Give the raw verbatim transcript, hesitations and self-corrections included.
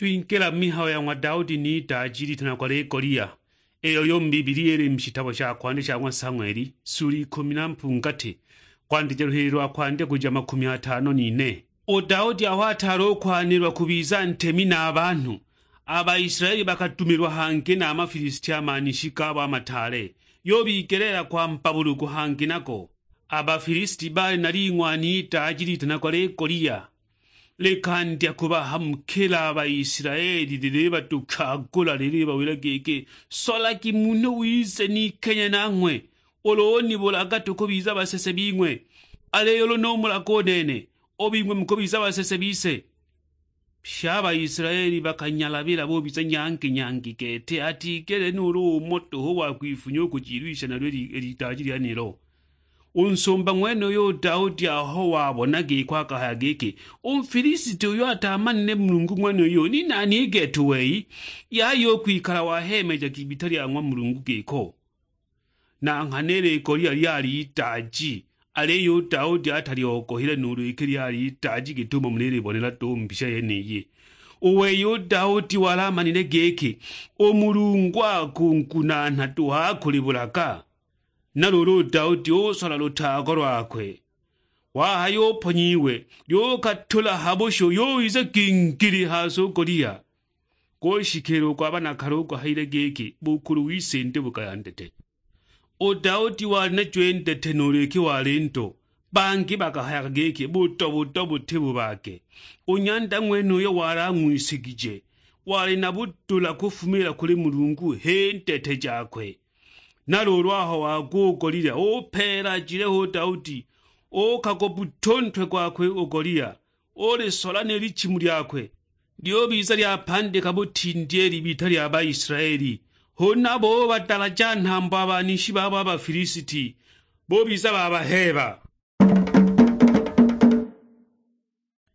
Twingila mu mihayo ya ng'wa Daudi n'itaaji litanagwa Lekolia, iyo yo mu Bibilia ili mu shitabo sha kwandya sha ng'wa Sang'weli, suli ikumi na mpungati, kwandija luhili lwa kwandya kuja makumi atano n'ine. U Daudi aho ataali u kwanilwa kubiza ntemi na a banhu, a Baisilaeli bakadumilwa hangi na a Mafilisiti a manishi gabo a mataale, yubigeleela kwamba bulugu hangi nago. A Bafilisiti baali na ling'wani itaaji litanagwa Lekolia, likandya kubahamukila a Baisilaeli, lilibatukagula, lilibawila giki, "Solagi munhu wise nikenye nanghwe, ulu unibulaga tukubiza basese bing'we, aliyo ulu numulaga u nene, u bing'we mukubiza basese bise." Pye a Baisilaeli bakanyalabila bubiza nyangi-nyangi gete, atigele nuulu umo duhu wa kwifunya u kujilwisha nalyo i li- i litaaji lyenilo. U nsumba ng'wenuyo u Daudi aho wabona giko akahaya giki, "U Mfilisiti uyo atamanile Mulungu ng'wenuyo ni nani i gete u wei, yaya u kwikala waheemejaga ibita lya ng'wa Mulungu giko?" Na nghana i Lekolia lyali itaaji, aliyo u Daudi atalyogohile nuulu iki lyali itaaji git'umo mulilibonela duhu mbisha yeniyi. U wei u Daudi wali amanile giki, u Mulungu akungunaana duhu akulibulaga. Na luulu u Daudi usola lutago lwakwe, wahaya uponyiwe, lyukatula ha bushu, yuwiza gingili ha si u Golia. Gushikiila u gwa banakale u guhayile giki, "Bukulu wise ndi bugaya ndete." U Daudi wali najo i ndete nuulu iki wali ndo, bangi bakahayaga giki, "Budo-budo buti bubage." U nyanda ng'wenuyo wali ang'wisigije, wali na budula kufumiila kuli Mulungu h'i ndete jakwe. Na luulu aho wagwa u Golia, upeela ajile ho u Daudi, uukagwa buto u ntwe gwakwe u Golia, ulisola ni lichimu lyakwe, lyubiza lyapandika butindi i libita lya Baisilaeli. Huna bubadalaja nhambo a banishi babo a Bafilisiti, bubiza babaheeba.